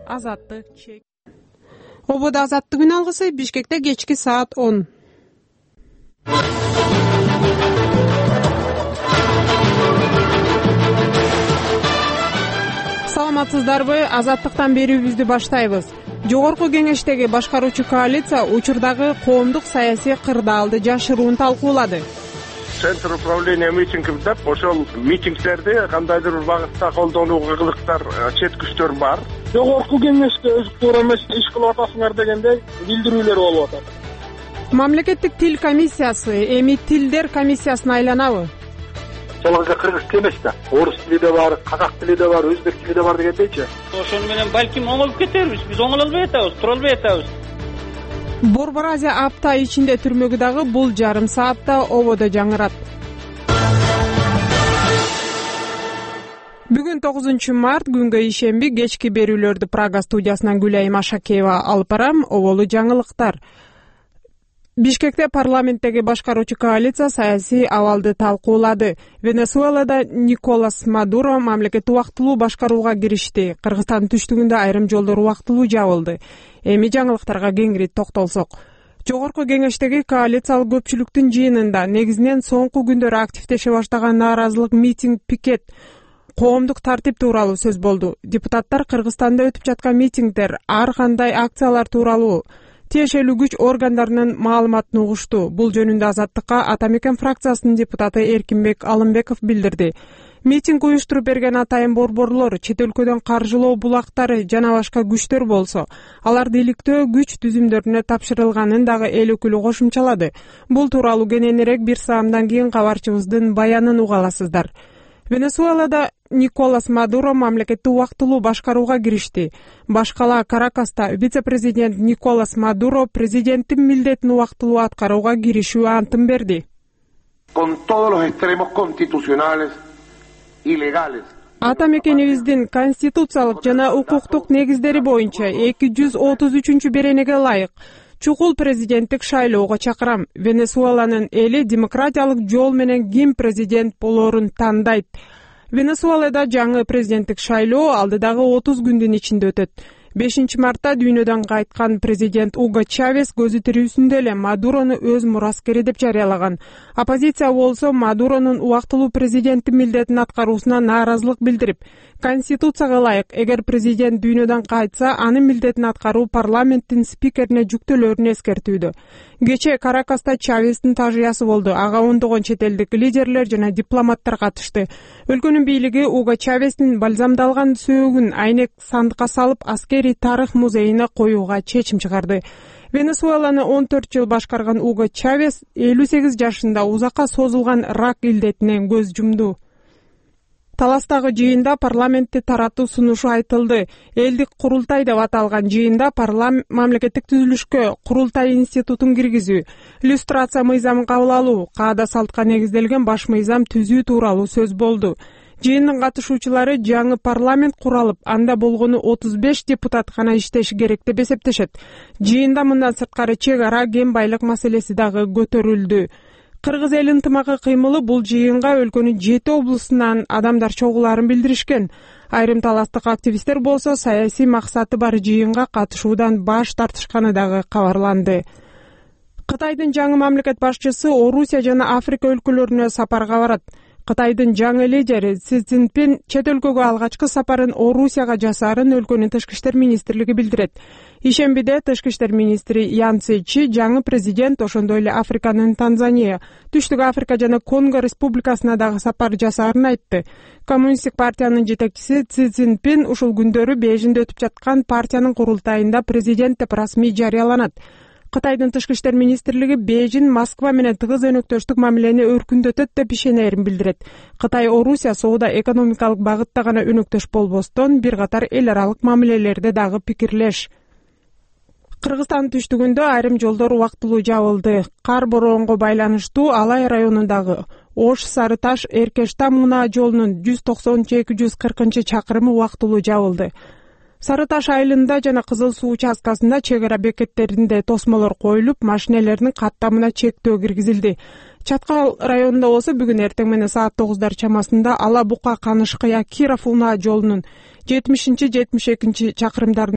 Азаттык чек. Ободо азаттык күн алгысы Бишкекте кечки саат 10. Саламатсыздарбы? Азаттыктан берүүбүздү баштайбыз. Жогорку кеңештеги башкаруучу коалиция учурдагы коомдук саясий кырдаалды жашыруун талкуулады. Центр управления митингов деп ошол митингдерди кандайдыр бир багытта колдонууга кылыктар, чет күчтөр бар. Жогорку кеңеште өзү туура эмес иш кылып атасыңар дегендей билдирүүлөр болуп атат. Мамлекеттик тил комиссиясы эми тилдер комиссиясына айланабы? Жалгыз кыргыз тили эмес да. Орус тили да бар, казак тили да бар, өзбек тили да бар дегендейчи. Ошону менен балким оңолуп кетербиз. Биз оңоло албай атабыз, тура албай атабыз. Борбор Азия апта ичинде түрмөгү дагы бул жарым саатта ободо жаңырат. Бүгүн 9-март күнгө ишемби кечки берүүлөрдү Прага студиясынан Гүлайым Ашакеева алып барам. Оболу жаңылыктар. Бишкекте парламенттеги башкаруучу коалиция саясий абалды талкуулады. Венесуэлада Николас Мадуро мамлекетти убактылуу башкарууга киришти. Кыргызстандын түштүгүндө айрым жолдор убактылуу жабылды. Эми жаңылыктарга кеңири токтолсок. Жогорку кеңештеги коалициялык көпчүлүктүн жыйынында негизинен соңку күндөрү активдеше баштаган нааразылык митинг, пикет, коомдук тартип тууралуу сөз болду. Депутаттар Кыргызстанда өтүп жаткан митингдер, ар кандай акциялар тууралуу тиешелүү күч органдарынын маалыматын угушту. Бул жөнүндө Азаттыкка Ата Мекен фракциясынын депутаты Эркинбек Алымбеков билдирди. Митинг уюштуруп берген атайын борборлор, чет өлкөдөн каржылоо булактары жана башка күчтөр болсо, аларды иликтөө күч түзүмдөрүнө тапшырылганын дагы эл өкүлү кошумчалады. Бул тууралуу кененирээк бир саамдан кийин кабарчыбыздын баянын уга аласыздар. Венесуэлада Николас Мадуро мамлекетти убактылуу башкарууга киришти. Башкала Каракаста вице-президент Николас Мадуро президенттин милдетин убактылуу аткарууга киришүү антын берди. Con todos los extremos constitucionales y legales. Ата мекенибиздин конституциялык жана укуктук негиздери боюнча 233 беренеге ылайык чукул президенттик шайлоого чакырам. Венесуэланын эли демократиялык жол менен ким президент болоорун тандайт. Венесуэлада жаңы президенттик шайлоо алдыдагы 30 күндүн ичинде өтөт. 5 мартта дүйнөдөн кайткан президент Уго Чавес көзү тирүүсүндө эле Мадурону өз мураскери деп жарыялаган. Оппозиция болсо Мадуронун убактылуу президенттин милдетин аткаруусуна нааразылык билдирип, конституцияга ылайык эгер президент дүйнөдөн кайтса, анын милдетин аткаруу парламенттин спикерине жүктөлөрүн эскертүүдө. Кечээ Каракаста Чавестин тажыясы болду. Ага ондогон чет элдик лидерлер жана дипломаттар катышты. Өлкөнүн бийлиги Уго Чавестин балзамдалган сөөгүн айнек сандыкка салып аскери тарых музейине коюуга чечим чыгарды. Венесуэланы 14 жыл башкарган Уго Чавес 58 жашында узакка созулган рак илдетинен көз жумду. Таластагы жыйында парламентти таратуу сунушу айтылды. Элдик курултай деп аталган жыйында мамлекеттик түзүлүшкө курултай институтун киргизүү, иллюстрация мыйзамын кабыл алуу, каада салтка негизделген баш мыйзам түзүү тууралуу сөз болду. Жыйындын катышуучулары жаңы парламент куралып, анда болгону 35 депутат гана иштеши керек деп эсептешет. Жыйында мындан сырткары чек ара кен байлык маселеси дагы көтөрүлдү. Кыргыз эл ынтымагы кыймылы бул жыйынга өлкөнүн 7 облусунан адамдар чогулаарын билдиришкен. Айрым таластык активисттер болсо саясий максаты бар жыйынга катышуудан баш тартышканы дагы кабарланды. Кытайдын жаңы мамлекет башчысы Орусия жана Африка өлкөлөрүнө сапарга барат. Кытайдын жаңы лидери Си Цзиньпин чет өлкөгө алгачкы сапарын Орусияга жасаарын өлкөнүн тышкы иштер министрлиги билдирет. Ишембиде тышкы иштер министри Ян Цзечи жаңы президент ошондой эле Африканын Танзания, Түштүк Африка жана Конго республикасына дагы сапар жасаарын айтты. Коммунисттик партиянын жетекчиси Си Цзиньпин ушул күндөрү Бейжиңде өтүп жаткан партиянын курултайында президент деп расмий жарыяланат. Кытайдын тышкы иштер министрлиги Бейжиң Москва менен тыгыз өнөктөштүк мамилени өркүндөтөт деп ишенерин билдирет. Кытай Орусия соода экономикалык багытта гана өнөктөш болбостон бир катар эл аралык мамилелерде дагы пикирлеш. Кыргызстандын түштүгүндө айрым жолдор убактылуу жабылды. Кар бороонго байланыштуу Алай районундагы Ош Сары Таш Эркештам унаа жолунун 190-240 чакырымы убактылуу жабылды. Сары Таш айылында жана Кызыл суу участкасында чек ара бекеттеринде тосмолор коюлуп, машинелердин каттамына чектөө киргизилди. Чаткал районунда болсо бүгүн эртең менен саат 9 чамасында Ала Бука Канышкыя Киров унаа жолунун 70-72 чакырымдарында